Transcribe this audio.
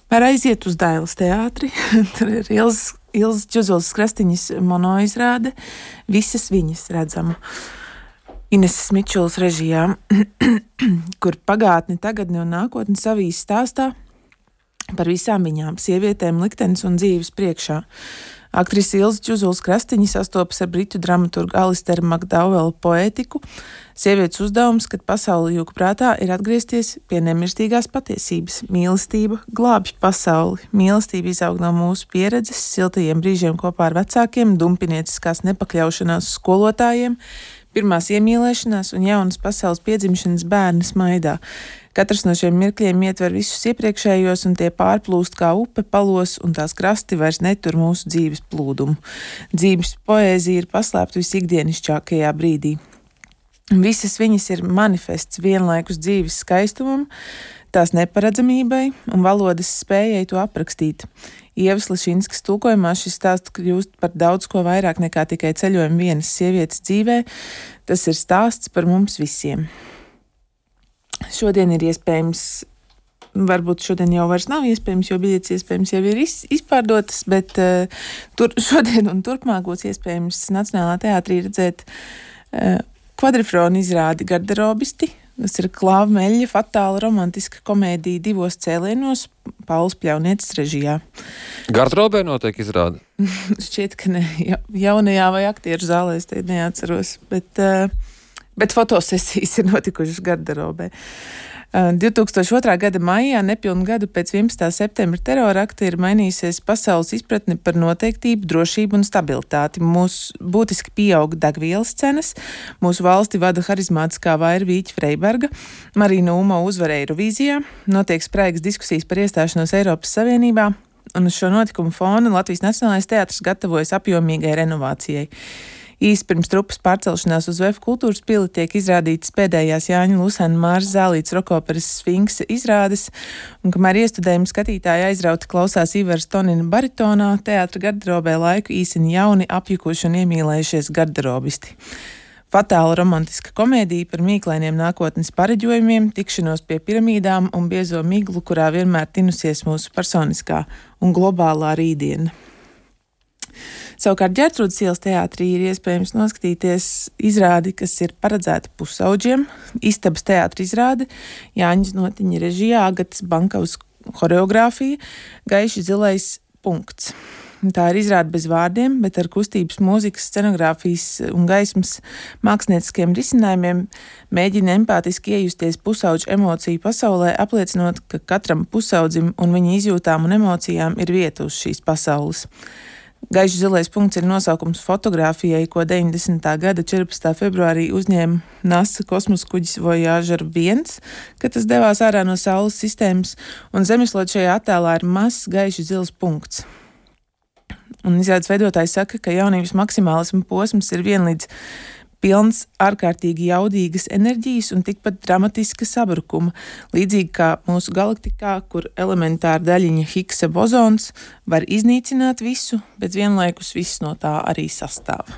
Var aiziet uz Dailes teātri, tur ir Ilzas Džuzulas Krastiņas monoizrāde, visas viņas redzama. Ineses Mičulas režijā, kur pagātni, tagadni un nākotni savīs stāstā par visām viņām, sievietēm, liktenes un dzīves priekšā. Aktrise Ilza Džuzulas Krastiņa sastopas ar britu dramaturgu Alisteru Makdauelu poētiku. Sievietes uzdevums, kad pasauli jūg prātā, ir atgriezties pie nemirstīgās patiesības. Mīlestība glābj pasauli. Mīlestība izaug no mūsu pieredzes, siltajiem brīžiem kopā ar vecākiem, dumpinieciskās nepakļaušanās skolotājiem, pirmās iemīlēšanās un jaunas pasaules piedzimšanas bērna smaidā. Katrs no šiem mirkļiem ietver visus iepriekšējos, un tie pārplūst kā upe palos, un tās krasti vairs netur mūsu dzīves plūdumu. Dzīves poēzija ir paslēpta visikdienišķākajā brīdī. Visas viņas ir manifests vienlaikus dzīves skaistumam, tās neparedzamībai un valodas spējai to aprakstīt. Ievas Lišinskas tulkojumā šis stāsts kļūst par daudz ko vairāk nekā tikai ceļojumu vienas sievietes dzīvē. Tas ir stāsts par mums visiem. Šodien ir iespējams, varbūt šodien jau vairs nav iespējams, jo biļetes iespējams jau ir izpārdotas, bet šodien un turpmāk būs iespējams Nacionālā teātrī redzēt kvadrifronu izrādi Garderobisti. Tas ir Klāva Meļļa fatāla romantiska komēdija divos cēlienos, Pauls Pļaunietis režijā. Garderobē notiek izrāde? Šķiet, ka ne jaunajā vai aktieru zālē, es te neatceros, bet fotosesijas ir notikušas garderobē. 2002. gada maijā, nepilnu gadu pēc 11. septembra terorakta, ir mainījusies pasaules izpratne par noteiktību, drošību un stabilitāti. Mūsu būtiski pieauga degvielas cenas, mūsu valsti vada harizmātiskā vaira Vīķa Freiberga, Marina Umo uzvarēja Eirovīzijā, notiek spraigas diskusijas par iestāšanos Eiropas Savienībā, un uz šo notikumu fona Latvijas Nacionālais teātris gatavojas apjomīgai renovācijai. Īsi pirms trupas pārcelšanās uz VF kultūras pili tiek izrādītas pēdējās Jāņa Lusēna Māras Zālītes rokoperas Sfinksa izrādes, un kamēr iestudējumi skatītāji aizrauti klausās Ivars Tonina baritonā, teātra garderobē laiku īsina jauni, apjukuši un iemīlējušies garderobisti. Fatāla romantiska komēdija par mīklainiem nākotnes pareģojumiem, tikšanos pie piramīdām un biezo miglu, kurā vienmēr tinusies mūsu personiskā un globālā rītdiena. Savukārt Ģertrūdes ielas teātrī ir iespējams noskatīties izrādi, kas ir paredzēta pusauģiem. Istabas teātra izrāde, Jāņa Znotiņa režijā, Agatas Bankavas horeogrāfija, Gaiši zilais punkts. Tā ir izrāde bez vārdiem, bet ar kustības, mūzikas, scenogrāfijas un gaismas mākslinieciskiem risinājumiem mēģina empātiski iejusties pusauģu emociju pasaulē, apliecinot, ka katram pusaudzim un viņa izjūtām un emocijām ir vieta uz šīs pasaules. Gaiši zilais punkts ir nosaukums fotogrāfijai, ko 90. gada 14. februārī uzņēma NASA kosmosa kuģis Voyager 1, kad tas devās ārā no Saules sistēmas, un zemeslode šajā attēlā ir mazs gaiši zils punkts. Un izrādes veidotājs saka, ka jaunības maksimālisma posms ir vienlīdz pilns ārkārtīgi jaudīgas enerģijas un tikpat dramatiska sabrukuma, līdzīgi kā mūsu galaktikā, kur elementāra daļiņa Higgsa bozons var iznīcināt visu, bet vienlaikus viss no tā arī sastāv.